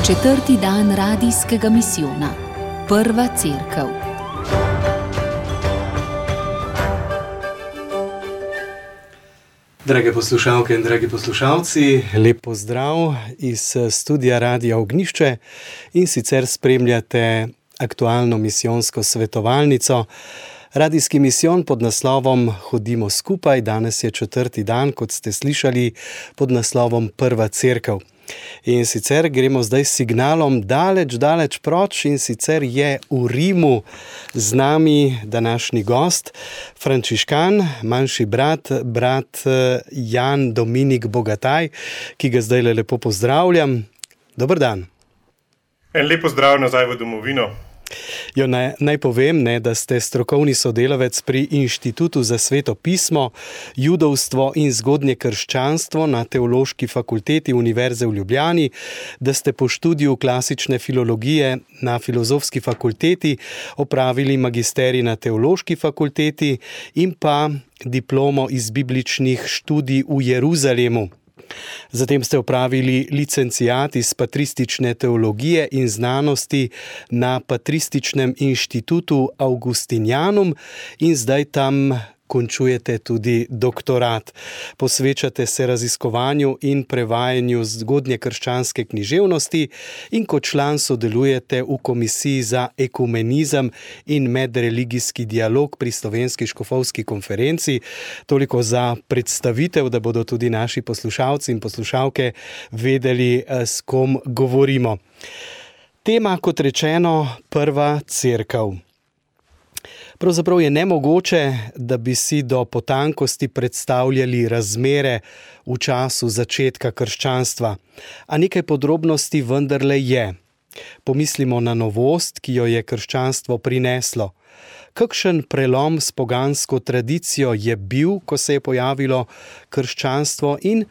Četrti dan radijskega misijona. Prva cerkev. Drage poslušalke in dragi poslušalci, lep pozdrav iz studia Radia Ognjišče in sicer spremljate aktualno misijonsko svetovalnico. Radijski misijon pod naslovom Hodimo skupaj, danes je četrti dan, kot ste slišali, pod naslovom Prva cerkev. In sicer gremo zdaj s signalom daleč proč in sicer je v Rimu z nami današnji gost, frančiškan, manjši brat Jan Dominik Bogataj, ki ga zdaj lepo pozdravljam. Dober dan. En lep pozdrav nazaj v domovino. Jo, naj povem, da ste strokovni sodelavec pri Inštitutu za sveto pismo, judovstvo in zgodnje krščanstvo na Teološki fakulteti Univerze v Ljubljani, da ste po študiju klasične filologije na Filozofski fakulteti opravili magisterij na Teološki fakulteti in pa diplomo iz bibličnih študij v Jeruzalemu. Zatem ste opravili licenciat iz patristične teologije in znanosti na Patrističnem inštitutu Augustinianum in zdaj tam končujete tudi doktorat. Posvečate se raziskovanju in prevajanju zgodnje krščanske književnosti in kot član sodelujete v Komisiji za ekumenizem in medreligijski dialog pri Slovenski škofovski konferenci. Toliko za predstavitev, da bodo tudi naši poslušalci in poslušalke vedeli, s kom govorimo. Tema, kot rečeno, Prva cerkev. Pravzaprav je nemogoče, da bi si do potankosti predstavljali razmere v času začetka krščanstva, a nekaj podrobnosti vendarle je. Pomislimo na novost, ki jo je krščanstvo prineslo. Kakšen prelom s pogansko tradicijo je bil, ko se je pojavilo krščanstvo, in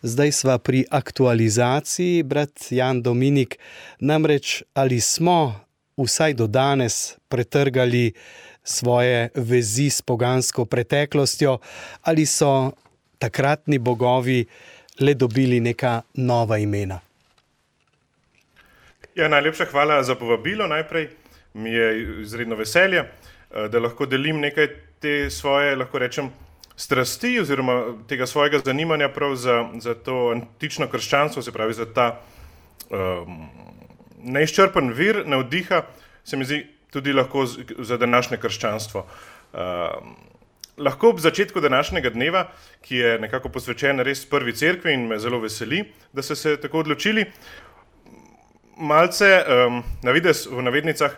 zdaj sva pri aktualizaciji, brat Jan Dominik, namreč ali smo vsaj do danes pretrgali svoje vezi s pogansko preteklostjo, ali so takratni bogovi le dobili neka nova imena? Ja, najlepša hvala za povabilo. Najprej mi je izredno veselje, da lahko delim nekaj te svoje, lahko rečem, strasti oziroma tega svojega zanimanja prav za to antično krščanstvo, se pravi za ta neizčrpen vir navdiha, se mi zdi tudi lahko za današnje krščanstvo. Lahko ob začetku današnjega dneva, ki je nekako posvečen res prvi cerkvi in me zelo veseli, da ste se tako odločili, malce na videz v navednicah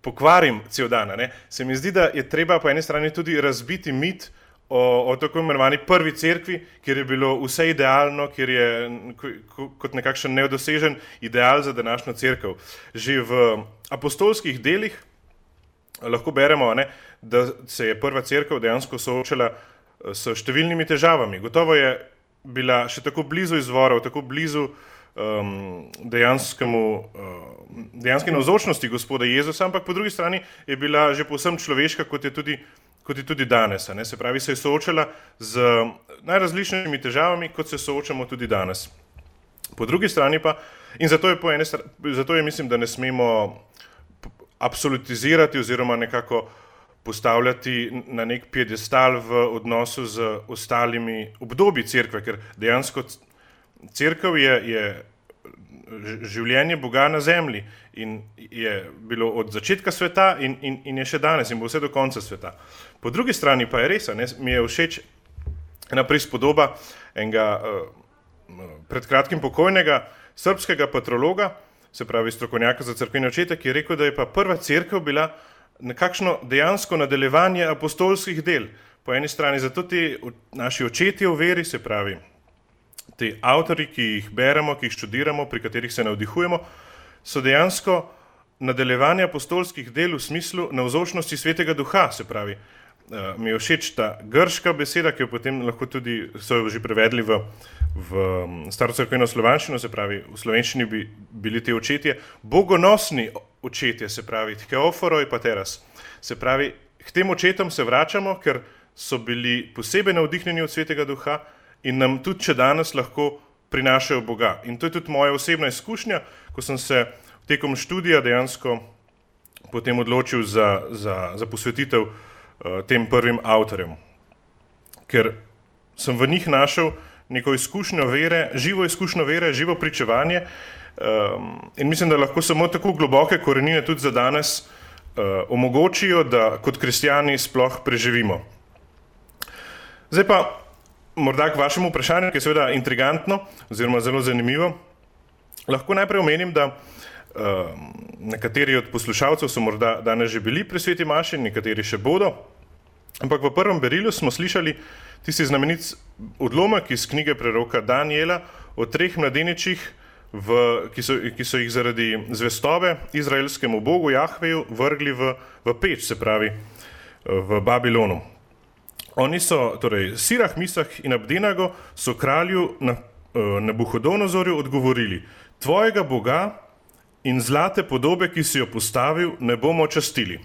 pokvarim cel dan. Se mi zdi, da je treba po eni strani tudi razbiti mit o tako imenovani prvi cerkvi, kjer je bilo vse idealno, kjer je kot nekakšen nedosežen ideal za današnjo cerkev. Že v apostolskih delih lahko beremo, da se je prva cerkev dejansko soočala s številnimi težavami. Gotovo je bila še tako blizu izvorov, tako blizu dejanske navzočnosti Gospoda Jezusa, ampak po drugi strani je bila že povsem človeška, kot je tudi danes. Se pravi, se je soočala z najrazličnejšimi težavami, kot se soočamo tudi danes. Po drugi strani pa, in zato je mislim, da ne smemo absolutizirati oziroma nekako postavljati na nek piedestal v odnosu z ostalimi obdobji cerkve, ker dejansko cerkev je življenje Boga na zemlji in je bilo od začetka sveta in je še danes in bo vse do konca sveta. Po drugi strani pa je res, mi je všeč ena prispodoba enega pred kratkim pokojnega srbskega patrologa, se pravi strokovnjaka za cerkvene očete, ki je rekel, da je pa prva cerkev bila nekakšno dejansko nadaljevanje apostolskih del. Po eni strani zato ti naši očetje v veri, se pravi ti avtorji, ki jih beremo, ki jih študiramo, pri katerih se navdihujemo, so dejansko nadaljevanje apostolskih del v smislu navzočnosti Svetega Duha, se pravi. Mi je všeč ta grška beseda, ki jo potem lahko tudi so jo že prevedli v starocerkveno slovanščino, se pravi v slovenščini bi bili te očetje bogonosni očetje, se pravi theophoroi pateras. Se pravi, k tem očetom se vračamo, ker so bili posebej navdihnjeni od Svetega Duha in nam tudi še danes lahko prinašajo Boga. In to je tudi moja osebna izkušnja, ko sem se tekom študija dejansko potem odločil za posvetitev tem prvim avtorjem. Ker sem v njih našel neko izkušnjo vere, živo pričevanje in mislim, da lahko samo tako globoke korenine tudi za danes omogočijo, da kot kristjani sploh preživimo. Zdaj pa morda k vašemu vprašanju, ki je seveda intrigantno oziroma zelo zanimivo. Lahko najprej omenim, da nekateri od poslušalcev so morda danes že bili pri sveti maši, nekateri še bodo, ampak v prvem berilu smo slišali tisti znamenit odlomek iz knjige preroka Daniela o 3 mladeničih, ki so jih zaradi zvestobe izraelskemu bogu Jahveju vrgli v peč, se pravi v Babilonu. Oni so, torej Sirah, Misah in Abdenago so kralju Nabuhodonozorju odgovorili: tvojega Boga in zlate podobe, ki si jo postavil, ne bomo častili.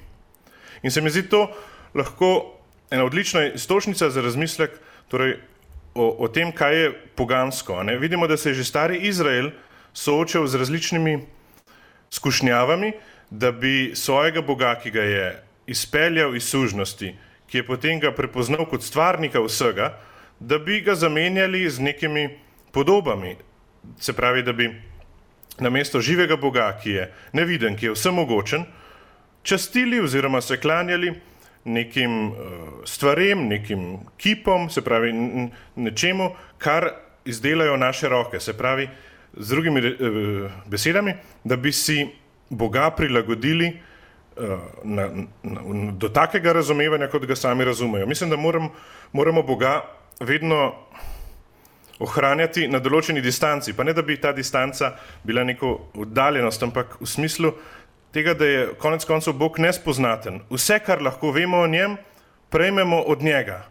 In se mi zdi to lahko ena odlična iztočnica za razmislek torej o tem, kaj je pogansko. Ne? Vidimo, da se je že stari Izrael soočal z različnimi skušnjavami, da bi svojega Boga, ki ga je izpeljal iz sužnosti, ki je potem ga prepoznal kot stvarnika vsega, da bi ga zamenjali z nekimi podobami. Se pravi, da bi namesto živega Boga, ki je neviden, ki je vsemogočen, častili oziroma se klanjali nekim stvarem, nekim kipom, se pravi nečemu, kar izdelajo naše roke. Se pravi, z drugimi besedami, da bi si Boga prilagodili do takega razumevanja, kot ga sami razumejo. Mislim, da moramo Boga vedno ohranjati na določeni distanci, pa ne da bi ta distanca bila neko oddaljenost, ampak v smislu tega, da je konec koncev Bog nespoznaten. Vse, kar lahko vemo o njem, prejmemo od njega.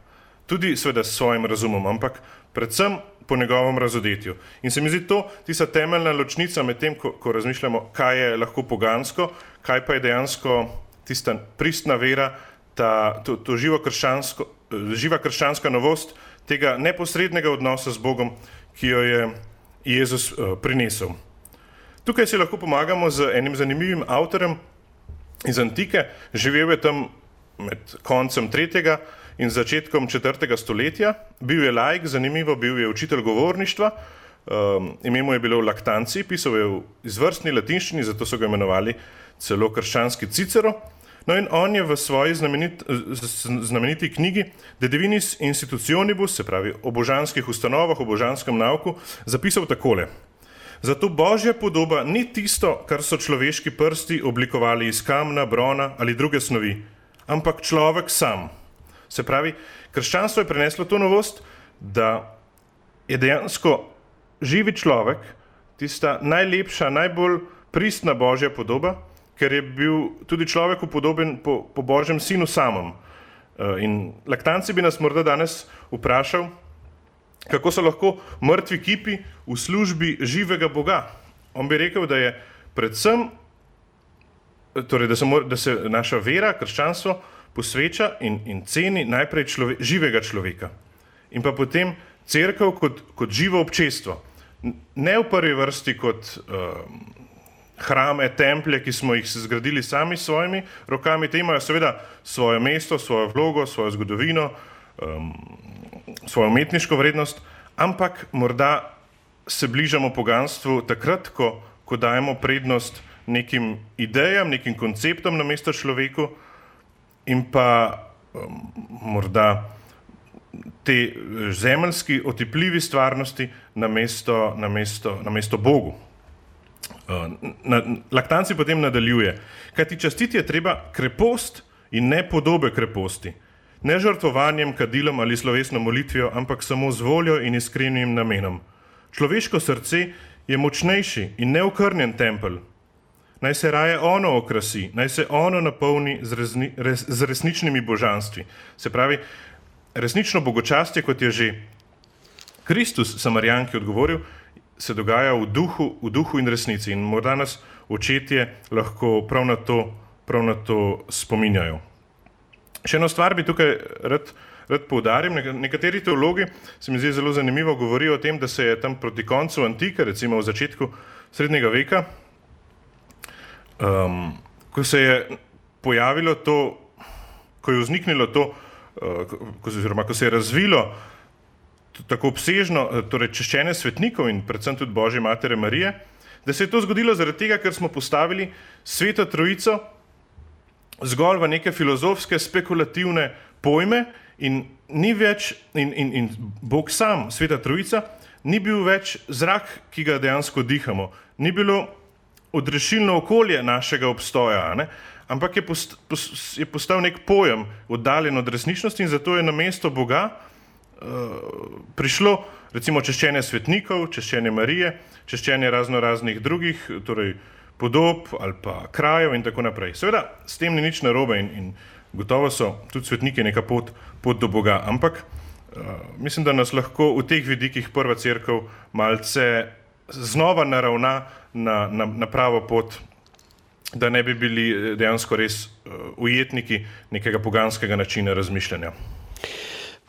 Tudi seveda s svojim razumom, ampak predvsem po njegovem razodetju. In se mi zdi to tista temeljna ločnica med tem, ko razmišljamo, kaj je lahko pogansko, kaj pa je dejansko tista pristna vera, to živa krščanska novost tega neposrednega odnosa z Bogom, ki jo je Jezus prinesel. Tukaj si lahko pomagamo z enim zanimivim avtorjem iz Antike. Živel je tam med koncem 3. in začetkom 4. stoletja. Bil je laik, zanimivo, bil je učitelj govorništva, ime mu je bilo Laktanci, pisal je v izvrstni latinščini, zato so ga imenovali celo krščanski Cicero. No in on je v svoji znameniti knjigi De Divinis Institutionibus, se pravi o božanskih ustanovah, o božanskem nauku, zapisal takole: zato Božja podoba ni tisto, kar so človeški prsti oblikovali iz kamna, brona ali druge snovi, ampak človek sam. Se pravi, krščanstvo je prineslo to novost, da je dejansko živi človek tista najlepša, najbolj pristna Božja podoba, ker je bil tudi človeku podoben po Božjem sinu samem. In Laktanci bi nas morda danes vprašal, kako so lahko mrtvi kipi v službi živega Boga. On bi rekel, da je predvsem, torej da se naša vera, krščanstvo, posveča in ceni najprej živega človeka. In pa potem cerkev kot živo občestvo. Ne v prvi vrsti kot hrame, templje, ki smo jih zgradili sami s svojimi rokami. Te imajo seveda svoje mesto, svojo vlogo, svojo zgodovino, svojo umetniško vrednost, ampak morda se bližamo poganstvu takrat, ko dajemo prednost nekim idejam, nekim konceptom namesto človeku in pa morda te zemeljski, otipljivi stvarnosti namesto Bogu. Laktanci potem nadaljuje: kajti častiti je treba krepost in ne podobe kreposti, ne žrtvovanjem, kadilom ali slovesno molitvijo, ampak samo z voljo in iskrenim namenom. Človeško srce je močnejši in neokrnjen tempelj. Naj se raje ono okrasi, naj se ono napolni z resničnimi božanstvi. Se pravi, resnično bogočastje, kot je že Kristus Samarijanki odgovoril, se dogaja v duhu in resnici. In morda nas očetje lahko prav na to spominjajo. Še eno stvar bi tukaj rad rad poudarim. Nekateri teologi, se mi zdi zelo zanimivo, govorijo o tem, da se je tam proti koncu antike, recimo v začetku srednjega veka, ko se je pojavilo to, ko je vzniknilo to, oziroma ko se je razvilo tako obsežno, torej češčenje svetnikov in predvsem tudi Božje matere Marije, da se je to zgodilo zaradi tega, ker smo postavili Sveto Trojico zgolj v neke filozofske, spekulativne pojme in ni več, in Bog sam, Sveta Trojica, ni bil več zrak, ki ga dejansko dihamo, ni bilo odrešilno okolje našega obstoja, ne? Ampak je postal nek pojem oddaljen od resničnosti in zato je na mesto Boga prišlo recimo češčenje svetnikov, češčenje Marije, češčenje raznih drugih, torej podob ali pa krajev in tako naprej. Seveda, s tem ni nič narobe in gotovo so tudi svetniki neka pot do Boga, ampak mislim, da nas lahko v teh vidikih prva cerkev malce znova naravna na pravo pot, da ne bi bili dejansko res ujetniki nekega poganskega načina razmišljanja.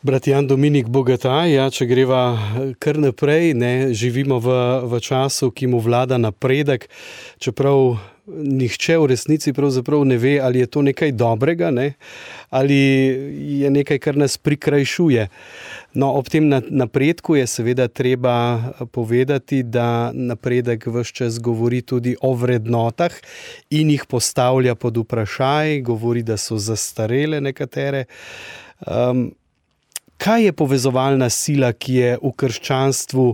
Brat Jan Dominik Bogataj, če greva kar naprej, živimo v času, ki mu vlada napredek, čeprav nihče v resnici pravzaprav ne ve, ali je to nekaj dobrega, ali je nekaj, kar nas prikrajšuje. No, ob tem napredku je seveda treba povedati, da napredek ves čas govori tudi o vrednotah in jih postavlja pod vprašaj, govori, da so zastarele nekatere. Kaj je povezovalna sila, ki je v krščanstvu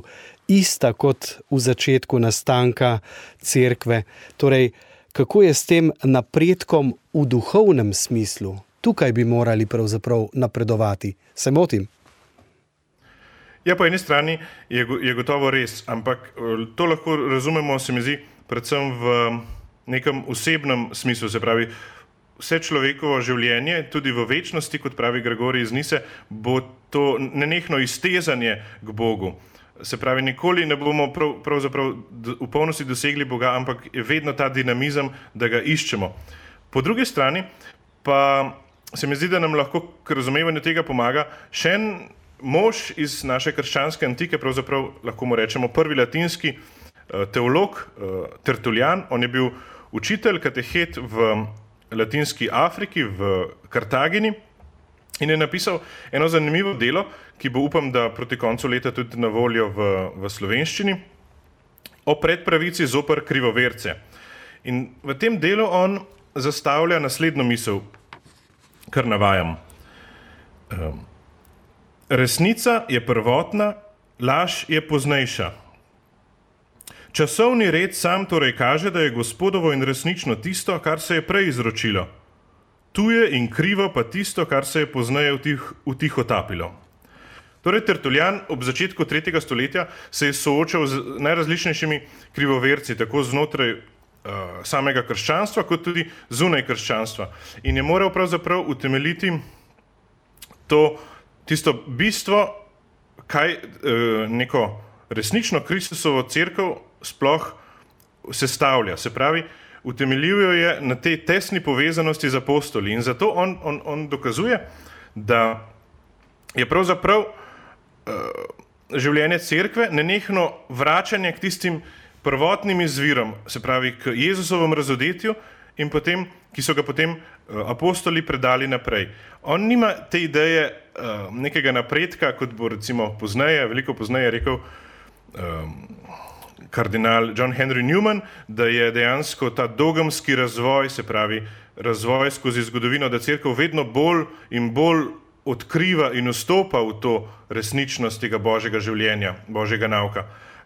ista kot v začetku nastanka cerkve? Torej, kako je s tem napredkom v duhovnem smislu? Tukaj bi morali pravzaprav napredovati. Se motim? Ja, po eni strani je gotovo res, ampak to lahko razumemo, se mi zdi, predvsem v nekem osebnem smislu, se pravi, vse človekovo življenje, tudi v večnosti, kot pravi Gregorij iz Nise, bo to nenehno iztezanje k Bogu. Se pravi, nikoli ne bomo pravzaprav v polnosti dosegli Boga, ampak je vedno ta dinamizem, da ga iščemo. Po drugi strani pa se mi zdi, da nam lahko k razumevanju tega pomaga še en mož iz naše krščanske antike, pravzaprav lahko mu rečemo prvi latinski teolog, Tertulijan. On je bil učitelj, katehet v Latinski Afriki, v Kartagini in je napisal eno zanimivo delo, ki bo, upam, da proti koncu leta tudi na voljo v slovenščini, o predpravici zoper krivoverce. In v tem delu on zastavlja naslednjo misel, kar navajam. Resnica je prvotna, laž je poznejša. Časovni red sam torej kaže, da je Gospodovo in resnično tisto, kar se je prej izročilo. Tuje in krivo pa tisto, kar se je pozneje utihotapilo. Torej, Tertulijan ob začetku 3. stoletja se je soočal z najrazličnejšimi krivoverci, tako znotraj samega krščanstva, kot tudi zunaj krščanstva. In je moral pravzaprav utemeljiti tisto bistvo, kaj neko resnično Kristusovo cerkev sploh sestavlja. Se pravi, utemeljuje je na tej tesni povezanosti z apostoli in zato on dokazuje, da je pravzaprav življenje cerkve nenehno vračanje k tistim prvotnim izvirom, se pravi k Jezusovem razodetju in potem, ki so ga potem apostoli predali naprej. On nima te ideje nekega napredka, kot bo recimo veliko pozneje rekel kardinal John Henry Newman, da je dejansko ta dogmski razvoj, se pravi razvoj skozi zgodovino, da cerkev vedno bolj in bolj odkriva in vstopa v to resničnost tega Božjega življenja, Božjega nauka.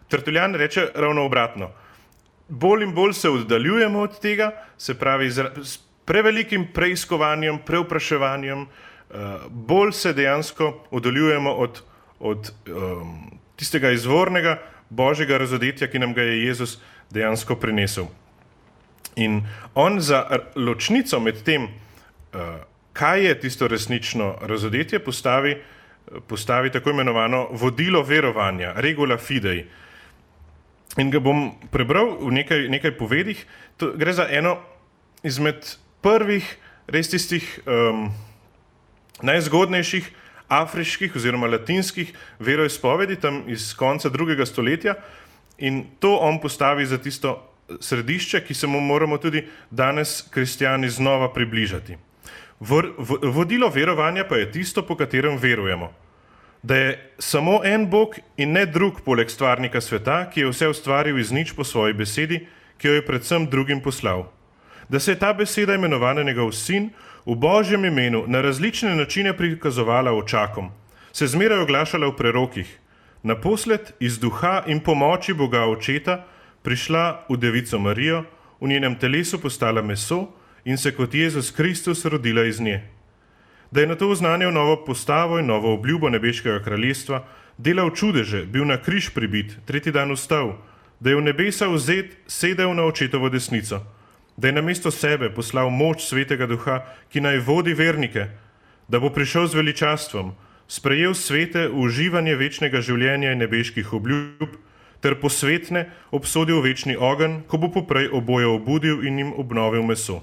Tertulijan reče ravno obratno. Bolj in bolj se oddaljujemo od tega, se pravi s prevelikim preiskovanjem, prevpraševanjem, bolj se dejansko oddaljujemo od tistega izvornega Božjega razodetja, ki nam ga je Jezus dejansko prinesel. In on za ločnico med tem, kaj je tisto resnično razodetje, postavi tako imenovano vodilo verovanja, regula fidei. In ga bom prebral v nekaj povedih. To gre za eno izmed prvih, res tistih najzgodnejših afriških oziroma latinskih veroizpovedi tam iz konca 2. stoletja in to on postavi za tisto središče, ki se mu moramo tudi danes kristjani znova približati. Vodilo verovanja pa je tisto, po katerem verujemo. Da je samo en Bog in ne drug poleg stvarnika sveta, ki je vse ustvaril iz nič po svoji besedi, ki jo je predvsem drugim poslal. Da se je ta beseda imenovana njegov sin v Božjem imenu na različne načine prikazovala očakom, se zmeraj oglašala v prerokih, naposled iz duha in pomoči Boga Očeta prišla v Devico Marijo, v njenem telesu postala meso in se kot Jezus Kristus rodila iz nje. Da je na to oznanil novo postavo in novo obljubo nebeškega kraljestva, delal čudeže, bil na križ pribit, 3. dan vstal, da je v nebesa vzet, sedel na Očetovo desnico, da je namesto sebe poslal moč Svetega Duha, ki naj vodi vernike, da bo prišel z veličastvom, sprejel svete v uživanje večnega življenja in nebeških obljub, ter posvetne obsodil večni ogenj, ko bo poprej oboje obudil in jim obnovil meso.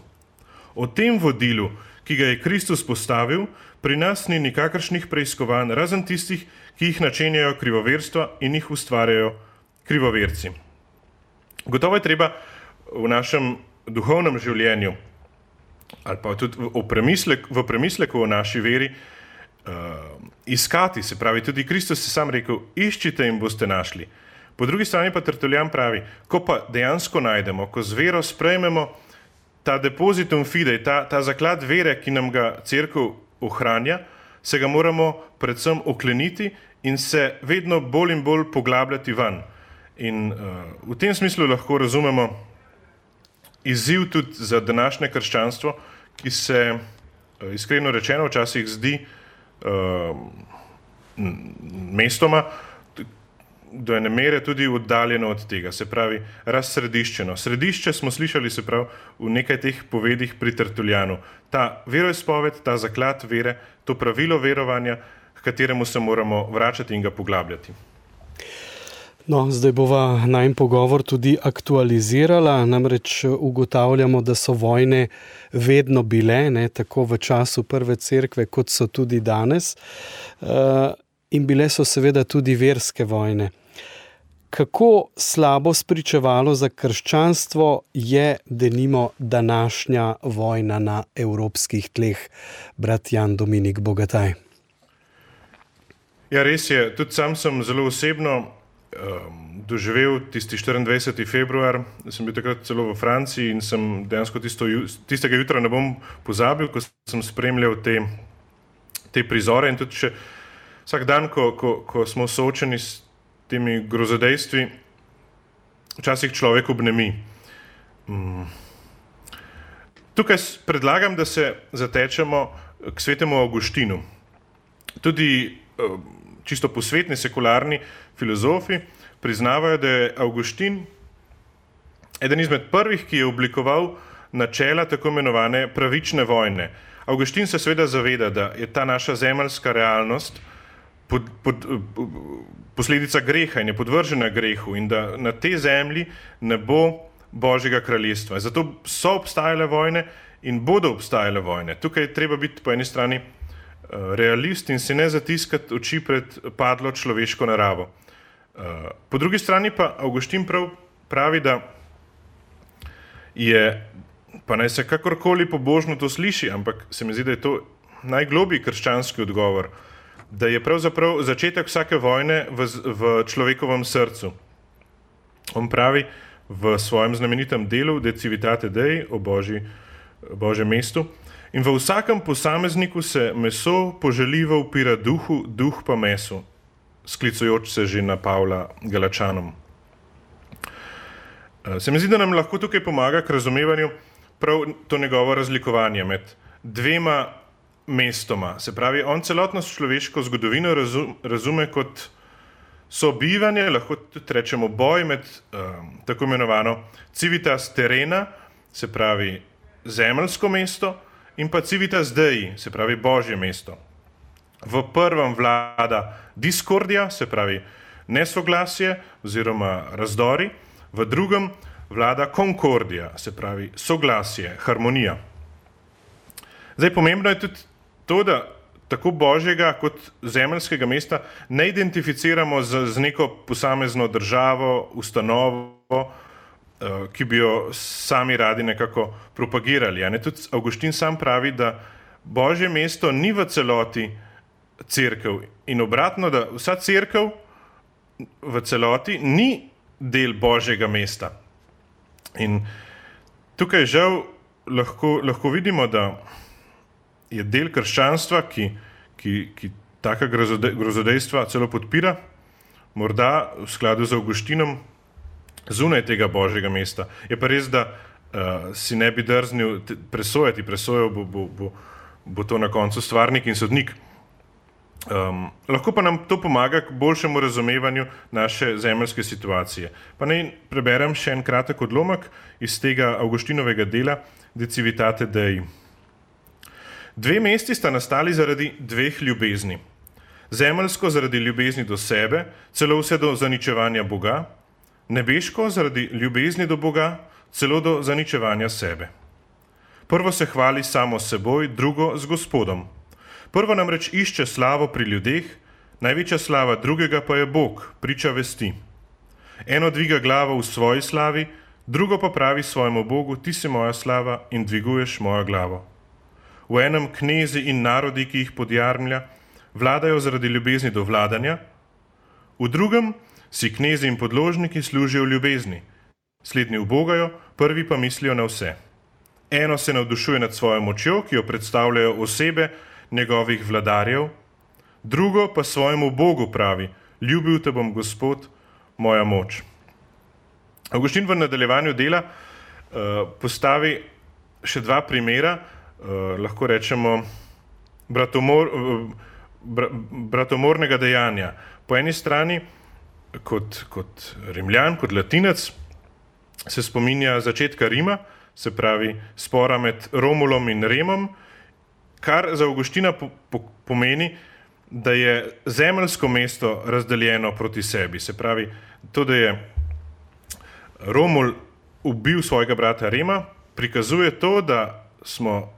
O tem vodilu, ki ga je Kristus postavil, pri nas ni nikakršnih preiskovanj, razen tistih, ki jih načenjajo krivoverstva in jih ustvarjajo krivoverci. Gotovo je treba v našem duhovnem življenju ali pa tudi v premisleku o naši veri iskati, se pravi, tudi Kristus je sam rekel, iščite in boste našli. Po drugi strani pa Tertullian pravi, ko pa dejansko najdemo, ko z vero sprejmemo ta depositum fidei, ta zaklad vere, ki nam ga cerkev ohranja, se ga moramo predvsem okleniti in se vedno bolj in bolj poglabljati van. In v tem smislu lahko razumemo izziv tudi za današnje krščanstvo, ki se iskreno rečeno včasih zdi mestoma do ene mere tudi oddaljeno od tega, se pravi razsrediščeno. Središče smo slišali, se pravi, v nekaj teh povedih pri Tertulianu. Ta veroizpoved, ta zaklad vere, to pravilo verovanja, k kateremu se moramo vračati in ga poglabljati. No, zdaj bova najin pogovor tudi aktualizirala, namreč ugotavljamo, da so vojne vedno bile, ne, tako v času prve cerkve, kot so tudi danes, in bile so seveda tudi verske vojne. Kako slabo spričevalo za krščanstvo je denimo današnja vojna na evropskih tleh, brat Jan Dominik Bogataj? Ja, res je. Tudi sam sem zelo osebno doživel tisti 24. februar, sem bil takrat celo v Franciji in sem dejansko tistega jutra ne bom pozabil, ko sem spremljal te prizore in tudi še vsak dan, ko smo soočeni s temi grozodejstvi, včasih človek obnemi. Tukaj predlagam, da se zatečemo k svetemu Avguštinu. Tudi čisto posvetni, sekularni filozofi priznavajo, da je Avguštin eden izmed prvih, ki je oblikoval načela tako imenovane pravične vojne. Avguštin se seveda zaveda, da je ta naša zemeljska realnost posledica greha in je podvržena grehu in da na tej zemlji ne bo Božjega kraljestva. Zato so obstajale vojne in bodo obstajale vojne. Tukaj je treba biti po eni strani realist in si ne zatiskati oči pred padlo človeško naravo. Po drugi strani pa Avguštin pravi, da je, pa naj se kakorkoli pobožno to sliši, ampak se mi zdi, da je to najglobji krščanski odgovor, da je pravzaprav začetek vsake vojne v človekovem srcu. On pravi v svojem znamenitem delu De civitate Dei o Božjem mestu, in v vsakem posamezniku se meso poželjivo upira duhu, duh pa mesu, sklicujoč se že na Pavla Galačanom. Se mi zdi, da nam lahko tukaj pomaga k razumevanju prav to njegovo razlikovanje med dvema mestoma. Se pravi, on celotno človeško zgodovino razume kot sobivanje, lahko tudi rečemo boj med tako imenovano civitas terrena, se pravi zemeljsko mesto, in pa civitas Dei, se pravi Božje mesto. V prvem vlada diskordija, se pravi nesoglasje oziroma razdori, v drugem vlada konkordija, se pravi soglasje, harmonija. Zdaj, pomembno je tudi to, da tako božjega kot zemeljskega mesta ne identificiramo z neko posamezno državo, ustanovo, ki bi jo sami radi nekako propagirali. Tudi Avguštin sam pravi, da Božje mesto ni v celoti cerkev in obratno, da vsa cerkev v celoti ni del Božjega mesta. In tukaj žal lahko vidimo, da je del krščanstva, ki taka grozodejstva celo podpira, morda v skladu z Avguštinom zunaj tega Božjega mesta. Je pa res, da si ne bi drznil presojal bo to na koncu stvarnik in sodnik. Lahko pa nam to pomaga k boljšemu razumevanju naše zemeljske situacije. Pa naj preberem še en kratek odlomek iz tega Avguštinovega dela De civitate Dei. 2 mesti sta nastali zaradi 2 ljubezni. Zemeljsko zaradi ljubezni do sebe, celo vse do zaničevanja Boga, nebeško zaradi ljubezni do Boga, celo do zaničevanja sebe. Prvo se hvali samo s seboj, drugo z Gospodom. Prvo namreč išče slavo pri ljudeh, največja slava drugega pa je Bog, priča vesti. Eno dviga glavo v svoji slavi, drugo pa pravi svojemu Bogu, ti si moja slava in dviguješ mojo glavo. V enem knezi in narodi, ki jih podjarmlja, vladajo zaradi ljubezni do vladanja, v drugem si knezi in podložniki služijo v ljubezni. Slednji ubogajo, prvi pa mislijo na vse. Eno se navdušuje nad svojo močjo, ki jo predstavljajo osebe njegovih vladarjev, drugo pa svojemu Bogu pravi, ljubil te bom Gospod, moja moč. Avguštin v nadaljevanju dela postavi še 2 primera, lahko rečemo bratomornega dejanja. Po eni strani, kot Rimljan, kot Latinec, se spominja začetka Rima, se pravi spora med Romulom in Remom, kar za Avguština pomeni, da je zemeljsko mesto razdeljeno proti sebi. Se pravi, to, da je Romul ubil svojega brata Rema, prikazuje to, da smo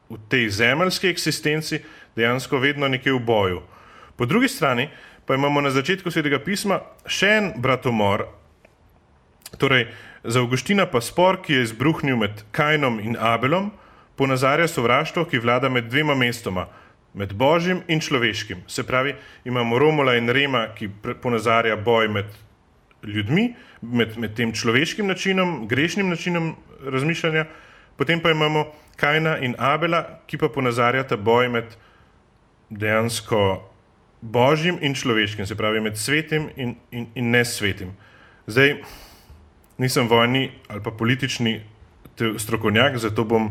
v tej zemeljski eksistenci dejansko vedno nekje v boju. Po drugi strani pa imamo na začetku Svetega pisma še en bratomor, torej za Avguština pa spor, ki je izbruhnil med Kainom in Abelom, ponazarja sovraštvo, ki vlada med 2 mestoma, med Božjim in človeškim. Se pravi, imamo Romula in Rema, ki ponazarja boj med ljudmi, med tem človeškim načinom, grešnim načinom razmišljanja, potem pa imamo Kaina in Abela, ki pa ponazarjata boj med dejansko Božjim in človeškim, se pravi med svetim in nesvetim. Zdaj, nisem vojni ali pa politični strokovnjak, zato bom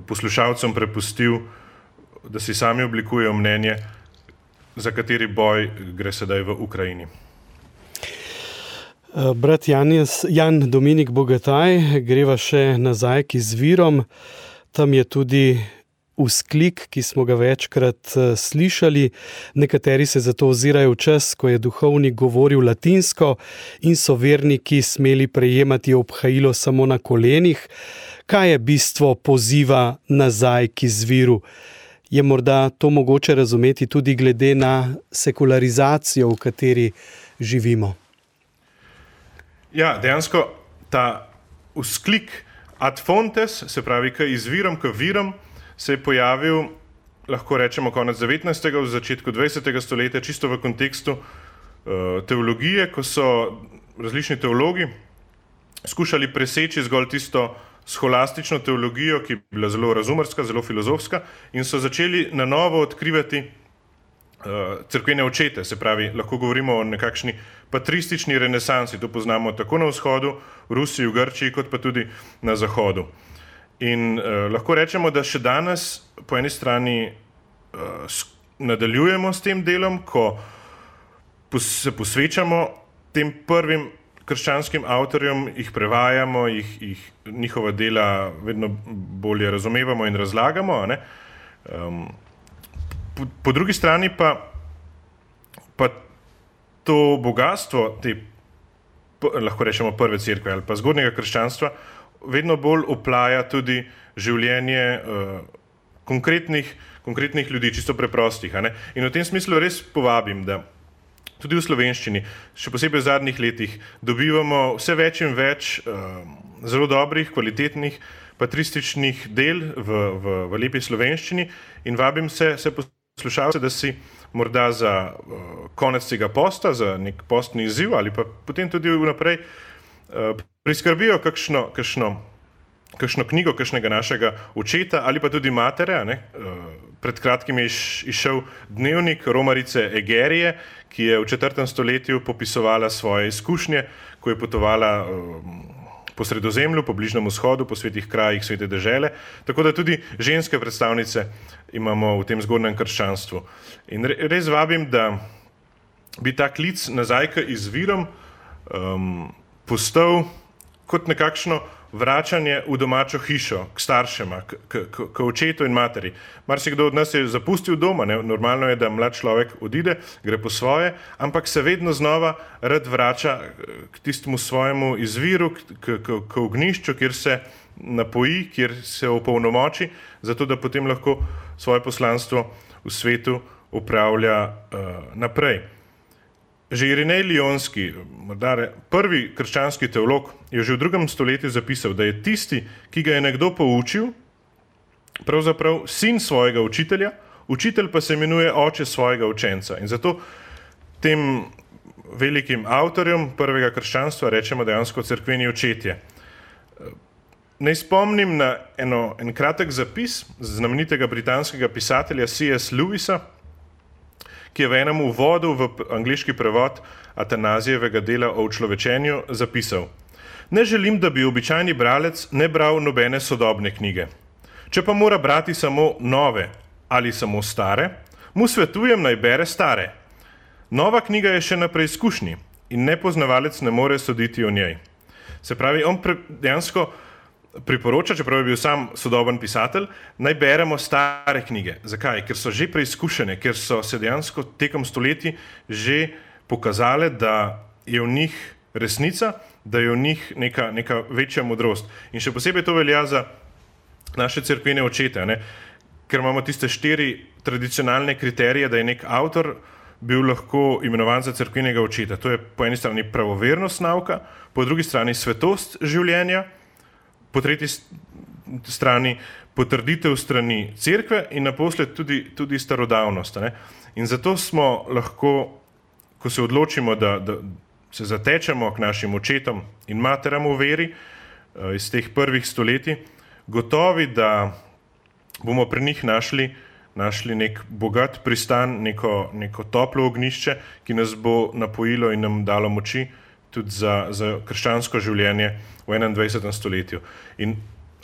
poslušalcem prepustil, da si sami oblikujejo mnenje, za kateri boj gre sedaj v Ukrajini. Brat Jan Dominik Bogataj, greva še nazaj k izvirom. Tam je tudi vzklik, ki smo ga večkrat slišali. Nekateri se zato ozirajo v čas, ko je duhovnik govoril latinsko in so verniki smeli prejemati obhajilo samo na kolenih. Kaj je bistvo poziva nazaj k izviru? Je morda to mogoče razumeti tudi glede na sekularizacijo, v kateri živimo? Ja, dejansko ta vzklik ad fontes, se pravi k izvirom, k virom, se je pojavil, lahko rečemo, konec 19. v začetku 20. stoletja, čisto v kontekstu teologije, ko so različni teologi skušali preseči zgolj tisto scholastično teologijo, ki je bila zelo razumerska, zelo filozofska, in so začeli na novo odkrivati cerkvene očete, se pravi, lahko govorimo o nekakšni patristični renesansi, to poznamo tako na vzhodu, v Rusiji, v Grčiji, kot pa tudi na zahodu. In lahko rečemo, da še danes po eni strani nadaljujemo s tem delom, ko se posvečamo tem prvim krščanskim avtorjem, jih prevajamo, njihova dela vedno bolje razumevamo in razlagamo, ne? Po drugi strani pa to bogatstvo te, lahko rečemo, prve cerkve ali pa zgodnjega krščanstva vedno bolj oplaja tudi življenje konkretnih ljudi, čisto preprostih. In v tem smislu res povabim, da tudi v slovenščini, še posebej v zadnjih letih, dobivamo vse več in več zelo dobrih, kvalitetnih, patrističnih del v lepi slovenščini in vabim se poslušalce, da si morda za konec tega posta, za nek postni izziv ali pa potem tudi vnaprej priskrbijo kakšno knjigo, kakšnega našega očeta ali pa tudi matere. Pred kratkim je izšel dnevnik Romarice Egerije, ki je v 4. stoletju popisovala svoje izkušnje, ko je potovala po Sredozemlju, po Bližnjem vzhodu, po svetih krajih svete dežele, tako da tudi ženske predstavnice imamo v tem zgodnjem krščanstvu. In res vabim, da bi ta klic nazaj k izvirom postal kot nekakšno vračanje v domačo hišo, k staršema, k očetu in materi. Marsikdo od nas je zapustil doma, normalno je, da mlad človek odide, gre po svoje, ampak se vedno znova rad vrača k tistemu svojemu izviru, k ognjišču, kjer se napoji, kjer se opolnomoči, zato da potem lahko svoje poslanstvo v svetu upravlja naprej. Že Irinej Lionski, prvi krščanski teolog, je že v 2. stoletju zapisal, da je tisti, ki ga je nekdo poučil, pravzaprav sin svojega učitelja, učitelj pa se imenuje oče svojega učenca. In zato tem velikim avtorjem prvega krščanstva rečemo dejansko cerkveni očetje. Naj spomnim na en kratek zapis znamenitega britanskega pisatelja C.S. Lewisa, ki je v enem uvodu v angleški prevod Atanazijevega dela o človečenju zapisal: Ne želim, da bi običajni bralec ne bral nobene sodobne knjige. Če pa mora brati samo nove ali samo stare, mu svetujem, naj bere stare. Nova knjiga je še na preizkušnji in nepoznavalec ne more soditi o njej. Se pravi, on dejansko priporoča, čeprav je bil sam sodoben pisatelj, naj beremo stare knjige. Zakaj? Ker so že preizkušene, ker so se dejansko tekom stoletij že pokazale, da je v njih resnica, da je v njih neka večja modrost. In še posebej to velja za naše cerkvene očete, ker imamo tiste 4 tradicionalne kriterije, da je nek avtor bil lahko imenovan za cerkvenega očeta. To je po eni strani pravovernost nauka, po drugi strani svetost življenja, po tretji strani potrditev strani cerkve in naposled tudi starodavnost. In zato smo lahko, ko se odločimo, da se zatečemo k našim očetom in materam v veri iz teh prvih stoletij, gotovi, da bomo pri njih našli nek bogat pristan, neko toplo ognjišče, ki nas bo napojilo in nam dalo moči tudi za krščansko življenje v 21. stoletju. In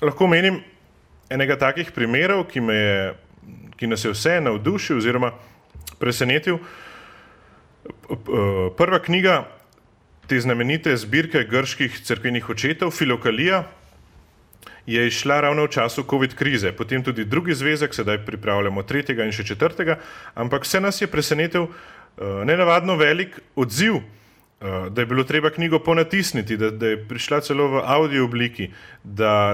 lahko menim enega takih primerov, ki nas je vse navdušil oziroma presenetil. Prva knjiga te znamenite zbirke grških cerkvenih očetov, Filokalija, je izšla ravno v času COVID krize, potem tudi drugi zvezek, sedaj pripravljamo 3. in še 4., ampak vse nas je presenetil nenavadno velik odziv, da je bilo treba knjigo ponatisniti, da je prišla celo v audio obliki, da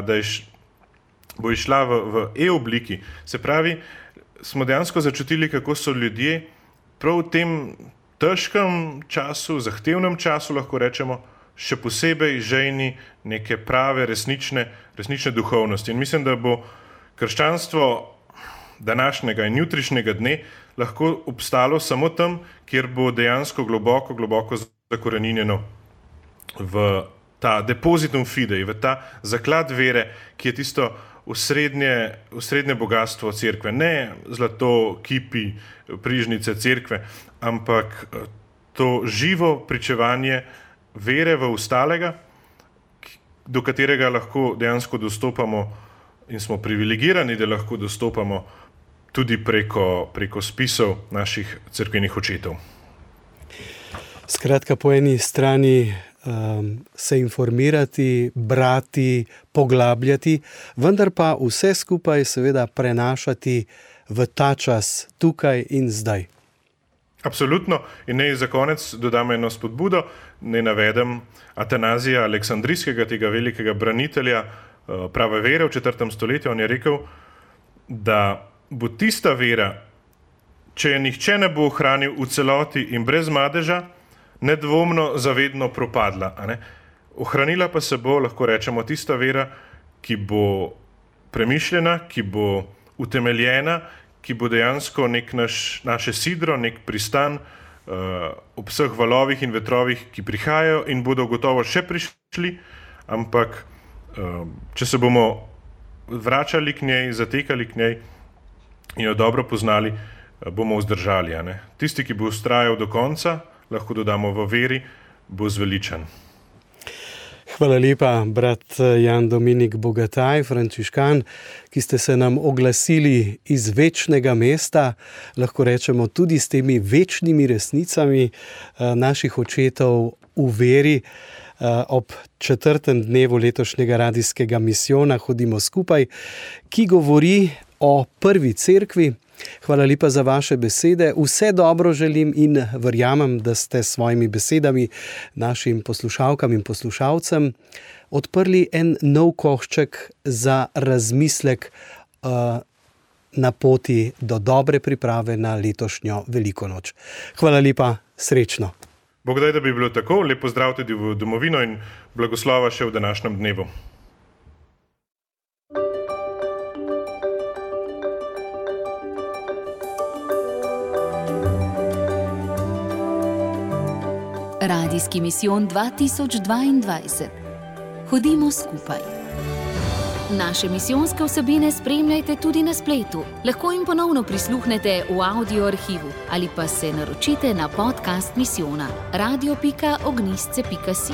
bo išla v e-obliki. Se pravi, smo dejansko začutili, kako so ljudje prav v tem težkem času, zahtevnem času, lahko rečemo, še posebej žejni neke prave, resnične duhovnosti. In mislim, da bo krščanstvo današnjega in jutrišnjega dne lahko obstalo samo tam, kjer bo dejansko globoko zakoreninjeno v ta depositum fidei, v ta zaklad vere, ki je tisto osrednje bogatstvo cerkve. Ne zlato, kipi, prižnice cerkve, ampak to živo pričevanje vere v ustalega, do katerega lahko dejansko dostopamo in smo privilegirani, da lahko dostopamo tudi preko spisov naših cerkvenih očetov. Skratka, po eni strani se informirati, brati, poglabljati, vendar pa vse skupaj seveda prenašati v ta čas, tukaj in zdaj. Absolutno. In naj za konec dodam eno spodbudo, naj navedem Atanazija Aleksandrijskega, tega velikega branitelja prave vere v 4. stoletju. On je rekel, da bo tista vera, če je nihče ne bo ohranil v celoti in brez madeža, nedvomno zavedno propadla. Ohranila pa se bo, lahko rečemo, tista vera, ki bo premišljena, ki bo utemeljena, ki bo dejansko nek naše sidro, nek pristan ob vseh valovih in vetrovih, ki prihajajo in bodo gotovo še prišli, ampak če se bomo vračali k njej, zatekali k njej in jo dobro poznali, bomo vzdržali. Tisti, ki bo vztrajal do konca, lahko dodamo v veri, bo zveličan. Hvala lepa, brat Jan Dominik Bogataj, frančiškan, ki ste se nam oglasili iz večnega mesta, lahko rečemo tudi s temi večnimi resnicami naših očetov v veri. Ob 4. dnevu letošnjega radijskega misijona Hodimo skupaj, ki govori o prvi cerkvi. Hvala lepa za vaše besede. Vse dobro želim in verjamem, da ste s svojimi besedami našim poslušalkam in poslušalcem odprli en nov košček za razmislek na poti do dobre priprave na letošnjo Veliko noč. Hvala lepa, srečno. Bog daj, da bi bilo tako. Lep pozdrav tudi v domovino in blagoslova še v današnjem dnevu. Radijski misijon 2022. Hodimo skupaj. Naše misijonske vsebine spremljajte tudi na spletu. Lahko jim ponovno prisluhnete v audio arhivu ali pa se naročite na podcast misijona radio.ognjisce.si.